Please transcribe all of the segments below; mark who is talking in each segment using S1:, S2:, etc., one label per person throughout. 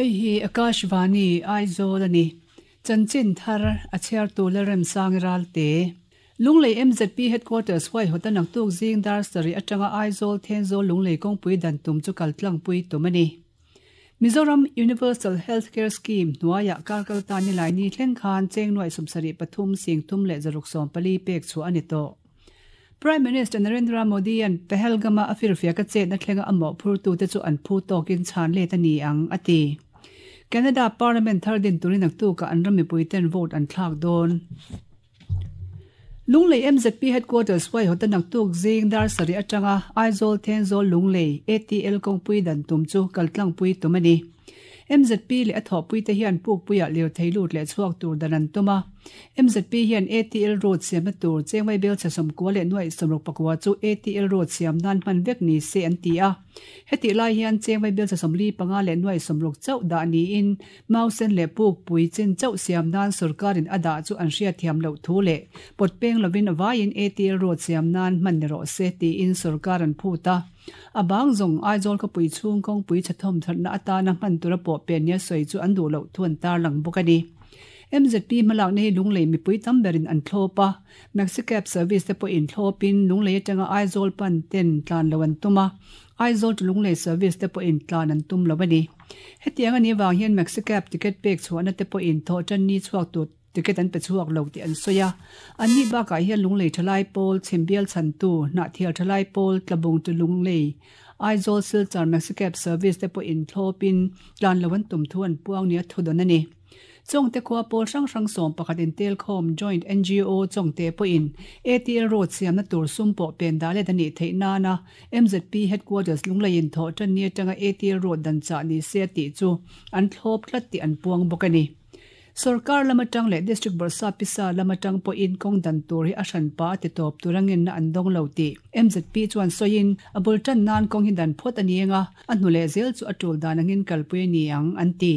S1: Hei hi Akashvani, Aizawl a ni. Chanchin thar a chhiartu Lalremsangi Ralte. Lunglei MZP Headquarters huaihawta naktuk zing dar sarih atanga Aizawl Thenzawl Lunglei kawngpui dan tum chu kal tlangpui tum a ni. Mizoram Universal Health Care Scheme hnuaiah kar kal ta nilai ni thleng khan cheng nuaih 73 singthum leh 614 pek chhuah a ni tawh. Prime Minister Narendra Modi-a'n Pahalgam-a a firfiaka chetna thlenga a mawhphurtute chu an phu tawkin chhan let a ni ang, a ti. Canada Parliament thar din turin naktukah an ram mipuiten vote an thlak dawn. Lunglei MZP Headquarters huaihawta naktuk zing dar sarih atanga Aizawl Thenzawl Lunglei ATL kawngpui dan tum chu kaltlangpui tum a ni. MZP leh a thawhpuite hian pukpuiah lirthei lut leh chhuak tur dan an tum a. MZP hian ATL road siamna tur Chengmai Belchhe 90 leh nuaih 64 chu ATL road siam nan hman vek ni se an ti a. Hetih lai hian Chengmai Belchhe 45 leh nuaih 60 chauh dah niin Mausen leh pukpui chin chauh siam nan sorkarin a dah chu an hriatthiam loh thu leh pawt peng lovin vaiin ATL road siam nan hman ni rawh se tiin sorkar an phut a. A bang zawng Aizawl khawpui chhung kawngpui chhathawm thatna atana hman tura pawh pen nia sawi chu an duh loh thu an tarlang bawk a ni. MZP hmalakna hi Lunglei mipui tam berin an thlawp a, Maxi Cab service te pawhin thlawpin Lunglei atanga Aizawl pan ten tlan lo an tum a, Aizawl to Lunglei service te pawhin tlan an tum lo a ni. Hetiang a nih avang hian Maxi Cab ticket pek chhuahna te pawhin thawhtan ni chhuak tur ticket an pe chhuak lo tih an sawi a. Anni bakah hian Lunglei Thalai Pawl, Chhimbial Chhantu, Hnahthial Thalai Pawl, Tlabung to Lunglei, Aizawl Silchar Maxi Cab service te pawhin thlawpin tlan lo an tum thu an puang nia thudawn a ni. Chawngte khua pawl hrang hrang 11 intelkhawm Joint NGO Chawngte pawhin ATL road siamna tur sum pawh pen dah let a nih theih nana MZP Headquarters Lungleiin thawh tan ni atanga ATL road dan chah ni se a tih chu an thlawp tlat tih an puang bawk a ni. Sorkar lam atang leh District Bawrhsap pisa lam atang pawhin kawng dan tur hi a hranpa a ti tawp tur angenna an dawng lo tih MZP chuan sawiin a bul tan nan kawng hi dan phawt a ni anga a hnu leh zel chu a tul dan angin kalpui a ni ang an ti.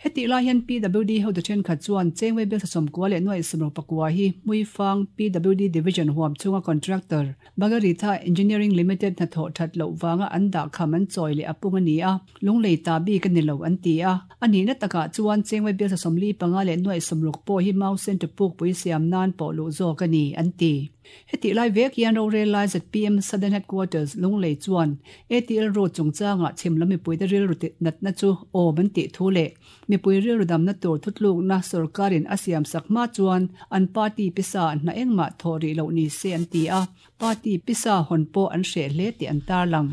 S1: Hetih lai hian PWD hotu thenkhat chuan Chengwei Bialtha 90 leh nuaih 64 hi Hmuifang PWD Division huam chhunga contractor Bagaritha Engineering Limited hnathawh that loh vanga an dah kham an chawi leh a pung a ni a, Lunglei ta bik a ni lo an ti a. A nihna takah chuan Chengwei Bialtha 45 leh nuaih 60 pawh hi Mau Center pukpui siam nan pawh luh zawk a ni an ti. Hetih lai vek hian rorel lai zpm Southern Headquarters Lunglei chuan ATL Road chungchangah chhim lam mipuite rilru natna chu awm an tih thu leh mipui rilru damna tur thutlukna sorkarin a siamsak hma chuan an party pisa hna engmah thawh rih loh ni se an ti a, party pisa hawn pawh an hreh hle tih an tarlang.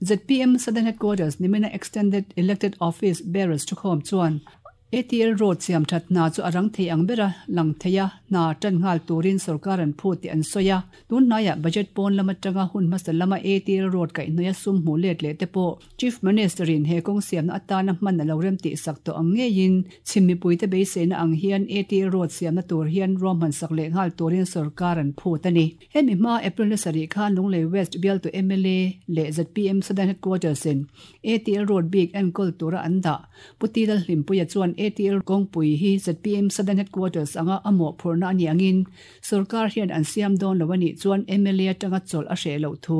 S1: Zpm Southern Headquarters nimina Extended Elected Office Bearers thukhawm chuan ATL road siam that hna chu a rang thei ang bera lang thei a, hna tan nghal turin sorkar an phut tih an sawi a. Tun hnaiah budget pawn lam atanga hun hmasa lama ATL road kaihhnawih a sum hmuh let leh te pawh Chief Minister in he kawng siamna atana hman a lo rem tih sak tawh ang ngeiin chhim mipuite beiseina ang hian ATL road siamna tur hian ruahman sak leh nghal turin sorkar an phut a ni. Hemi hma April ni sarih khan Lunglei West bialtu mla leh zpm Southern Headquarters in ATL road bik enkawl tura an dah. Pu Ti Lalhlimpuia chuan ATL kawngpui hi zpm Southern Headquarters anga a mawhphurhna a nih angin sorkar hian an siam dawn lo a nih chuan mla atanga chawlh a hreh loh thu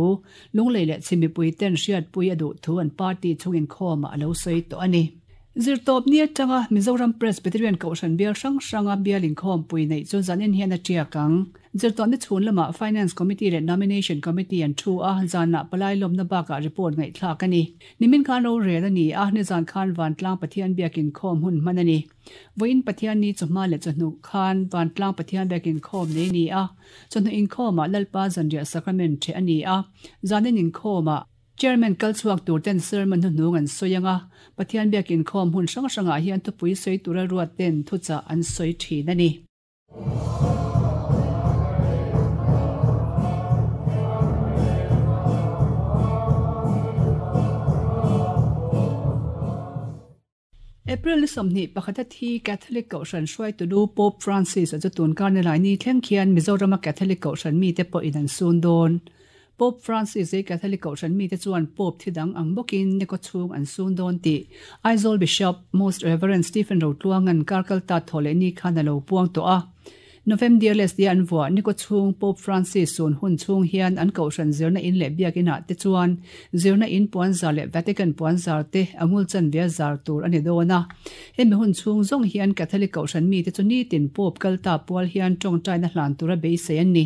S1: Lunglei leh chhim mipui ten hriatpui a duh thu an party chungin khawmah a lo sawi tawh a ni. Zirtawp ni atanga Mizoram Presbyterian Kohhran bial hrang hranga bial inkhawmpui neih chu zanin hian a tiak ang. Zirtawp ni chhun lamah Finance Committee leh Nomination Committee an thu a, zanah palai lawmna bakah report ngaihthlak a ni. Nimin khan rorel a ni a, nizan khan Vantlang Pathian biakin khawm hun hman a ni. Vawiin Pathian ni chawhma leh chawhnu khan Vantlang Pathian biakin khawm nei a ni a, chawhnu inkhawmah Lalpa Zanriah Sacrament ṭheh a ni a, zanin inkhawmah Chairman kal chhuak tur ten sermon hnuhnung an sawi ang a, Pathian biakin khawm hun hrang hrangah hian thupui sawi tura ruat ten thuchah an sawi thin a ni. April ni 21 a thi Catholic Kohhran hruaitu lu Pope Francis a chu tun kar ni lai ni thleng khian Mizorama Catholic Kohhran mite pawhin an sun dawn. Pope Francis hi Catholic Kohhran mite chuan Pope thi dang ang bawkin ni kaw chhung an sun dawn tih Aizawl Bishop Most Reverend Stephen Rotluanga'n kar kal ta thaw leh ni khan a lo puang tawh a. Novemdiales tia an vuah ni kawchhung Pope Francis sun hun chhung hian an kohhran zirna in leh biakinah te chuan zirna in puanzar leh Vatican puanzar te a ngul chanve a zar tur a ni dawn a. Hemi hun chhung zawng hian Catholic kohhran mite chu nitin Pope kalta pual hian tawngtaina hlan tura beisei an ni.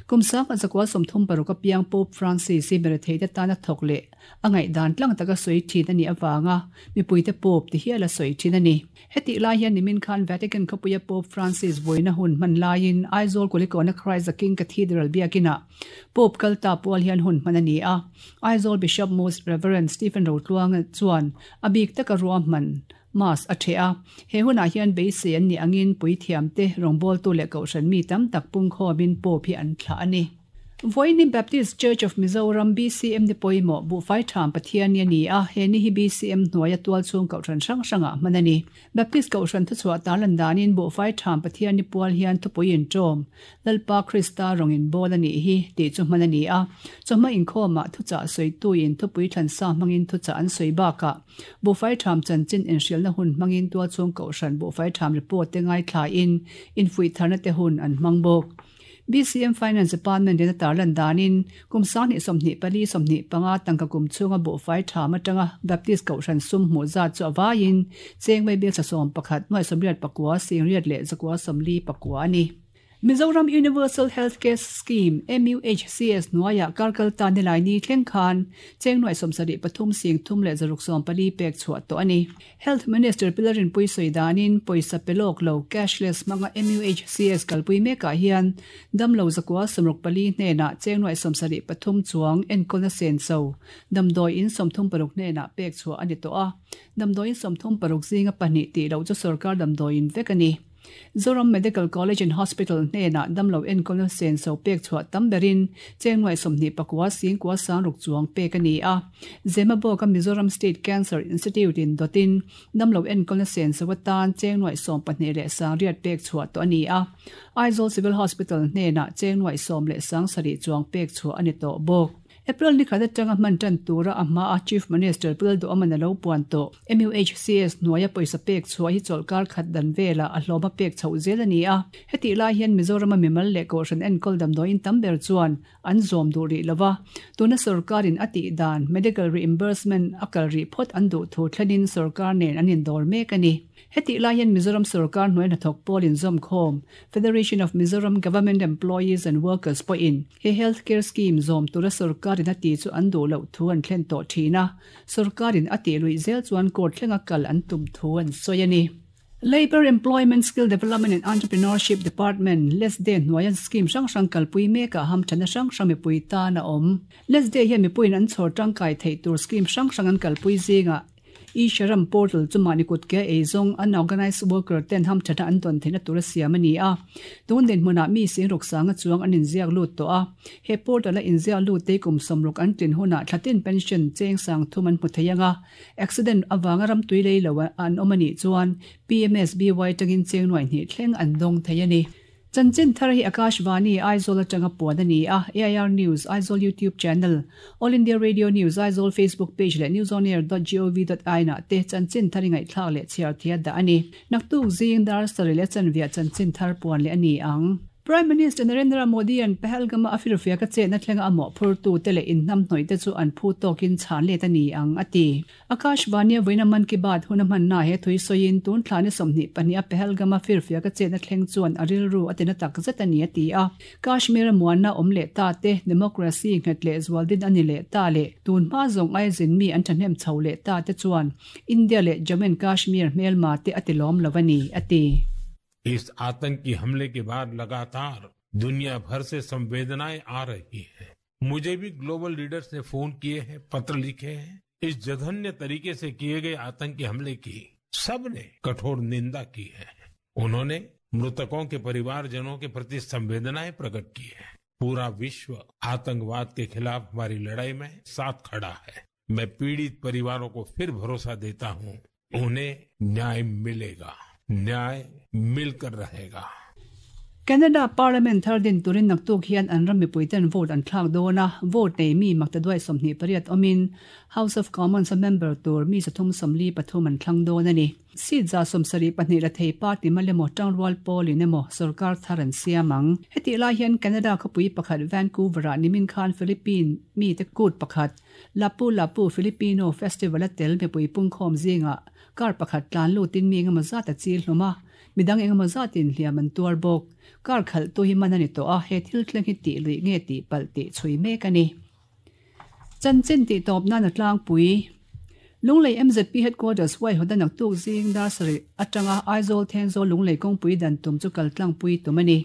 S1: Kum 1936 a piang Pope Francis hi meretheite tana thawk leh a ngaihdan tlang taka sawi thin a nih avanga mipuite Pope ti hial a sawi thin a ni. Hetih lai hian nimin khan Vatican khawpuia Pope Francis vawiina hun hman laiin Aizawl Kulikawna Christ the King Cathedral biakinah Pope kalta pual hian hun hman a ni a. Aizawl Bishop Most Reverend Stephen Rotluanga chuan a bik taka ruahman Mass a ṭheh a. He hunah hian beisei an nih angin puithiamte, rawngbawltu leh kohhran mi tam tak pungkhawmin Pope hi an thlah a ni. Vawiin Baptist Church of Mizoram, BCM, ni pawimawh Buhfai Ṭham Pathian ni a ni a, he ni hi BCM hnuaia tualchhung kohhran hrang hrangah hman a ni. Baptist kohhran thuchhuah tarlan danin Buhfai Ṭham Pathian ni pual hian thupui inṭawm, Lalpa Krista rawng inbawl a nih hi, tih chu hman a ni a. Chawhma inkhawmah thuchah sawituin thupui thlansa hmangin thuchah an sawi bakah Buhfai Ṭham chanchin inhrilhna hun hmangin tualchhung kohhran Buhfai Ṭham report te ngaithlain infuih tharna te hun an hmang bawk. BCM Finance Department in a tarlan danin kum 2024 25 tangka kum chhunga buhfai ṭham aṭanga Baptist Kohhran sum hmuh zat chu a vaiin cheng vaibel 11 889 singriat leh 949 a ni. Mizoram Universal Health Care Scheme, MUHCS, hnuaiah kar kal ta nilai ni thleng khan cheng 73 sing thum leh 614 pek chhuah tawh a ni. Health Minister Pi Lalrinpuii sawi danin pawisa pe lawk lo, cashless, hmanga MUHCS kalpui mekah hian damlo 964 hnenah cheng 73 chuang enkawlna senso damdawi in 36 hnenah pek chhuah a ni tawh a. Damdawi in 36 zinga pahnih tih loh chu sorkar damdawi in vek a ni. Zoram Medical College and Hospital hnenah damlo enkawlna senso pek chhuah tam berin cheng 29 singkua sangruk chuang pek a ni a. Zemabawka Mizoram State Cancer Institute in dawtin damlo enkawlna senso atan cheng 12 leh sangriat pek chhuah tawh a ni a. Aizawl Civil Hospital hnenah cheng 10 leh sangsarih chuang pek chhuah a ni tawh bawk. April ni khat atanga hman tan tura a hma a Chief Minister Pu Lalduhawman a lo puan tawh. MUHCS hnuaia pawisa pek chhuah hi chawlhkar khat dan velah a hlawm a pek chhoh zel a ni a. Hetih lai hian Mizorama mimal leh Kohhran enkawl damdawiin tam ber chuan an zawm duh rih lova. Tuna sorkarin a tih dan Medical Reimbursement a kal rih phawt an duh thu thlenin sorkar nen an indawr mek a ni. Hetih lai hian Mizoram sorkar hnuai hnathawk pawl inzawmkhawm Federation of Mizoram Government Employees and Workers pawhin he health care scheme zawm tura sorkarin a tih chu an duh loh thu an thlen tawh thin a, sorkarin a tih luih zel chuan court thlenga kal an tum thu an sawi a ni. Labour, Employment, Skill Development and Entrepreneurship Department, LESDE, hnuaia scheme hrang hrang kalpui mekah hamthana hrang hrang mipui tan a awm. LESDE hian mipuiin an chhawr tangkai theih tur scheme hrang hrang an kalpui zingah E-Sharam portal chu mahni kut ke ei zawng unorganised worker ten hamthatna an dawn theihna tura siam a ni a. Tun dinhmunah mi sing ruk sanga chuang an inziak lut tawh a. He portal a inziak lut te kum 60 an tlin hunah thlatin pension cheng sang thum an hmu thei ang a. Accident avanga ram tui lei lo an awm a nih chuan PMSBY tangin cheng nuaih hnih thleng an dawng thei a ni. Chanchin thar hi Akashvani, Aizawl atanga puan a ni a, AIR News, Aizawl YouTube Channel, All India Radio News, Aizawl Facebook Page leh newsonair.gov.in ah te chanchin thar i ngaihthlak leh chhiar thei a dah a ni. Naktuk zing dar sarih leh chanviah chanchin thar puan leh a ni ang. Prime Minister Narendra Modi-a'n Pahalgam-a a firfiak a chetna thlenga a mawhphurtu te leh inhnamhnawih te chu an phu tawkin chhan let a ni ang, a ti. Akashvani-a vawiina Mann Ki Baat hun a hmanna he thui sawiin tun thla ni 22 a Pahalgam-a firfiak a chetna thleng chuan a rilru a tina tak zet a ni a ti a. Kashmir-a muanna awm leh ta te, democracy nghet leh zual din a ni leh ta leh tun hma zawng aia zin mi an thahnem chho leh ta te chuan India leh Jammu and Kashmir hmelma te a ti lawm lo a ni, a ti.
S2: इस आतंकी हमले के बाद लगातार दुनिया भर से संवेदनाएं आ रही हैं। मुझे भी ग्लोबल लीडर्स ने फोन किए हैं, पत्र लिखे हैं। इस जघन्य तरीके से किए गए आतंकी हमले की सबने कठोर निंदा की है। उन्होंने मृतकों के परिवारजनों के प्रति संवेदनाएं प्रकट की है। पूरा विश्व आतंकवाद के खिलाफ हमारी लड़ाई में साथ खड़ा है। मैं पीड़ित परिवारों को फिर भरोसा देता हूं, उन्हें न्याय मिलेगा, न्याय मिलकर रहेगा।
S1: Canada Parliament thar din turin naktuk hian an ram mipuiten vote an thlak dawn a, vote nei mi maktaduai 28 awmin House of Commons a member tur mi 343 an thlang dawn a ni. Seat 72 la thei party mal emaw tangrual pawlin emaw sorkar thar an siam ang. Hetih lai hian Canada khawpui pakhat Vancouver-ah nimin khan Philippine mite kut pakhat Lapu Lapu Filipino Festival a tel mipui pungkhawm zingah car pakhat tlan lutin mi engemaw zat a chil hlawm a, midang engemaw zatin hliam an tuar bawk. Car khalhtu hi man a ni tawh a, he thil thleng hi tih luih nge tih palh tih chhui mek a ni. Chanchin tih tawp nan a tlangpui. Lunglei MZP Headquarters huaihawt a naktuk zing dar sarih atanga Aizawl Thenzawl Lunglei kawngpui dan tum chu kal tlangpui tum a ni.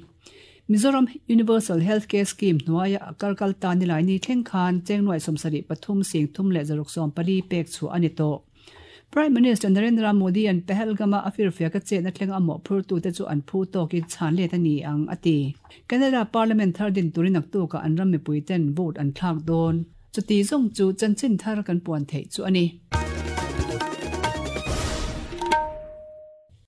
S1: Mizoram Universal Health Care Scheme hnuaia a kar kal ta nilai ni thleng khan cheng nuai 73 sing thum leh 614 pek chhuah a ni tawh. Prime Minister Narendra Modi an Pahalgam-a a firfiak a chetna thleng a mawhphurtute chu an phu tawkin chhan let a ni ang a ti. Canada Parliament thar din turin naktukah an ram mipuiten vote an thlak dawn. Chuti zawng chu chanchin thar kan puan theih chu a ni.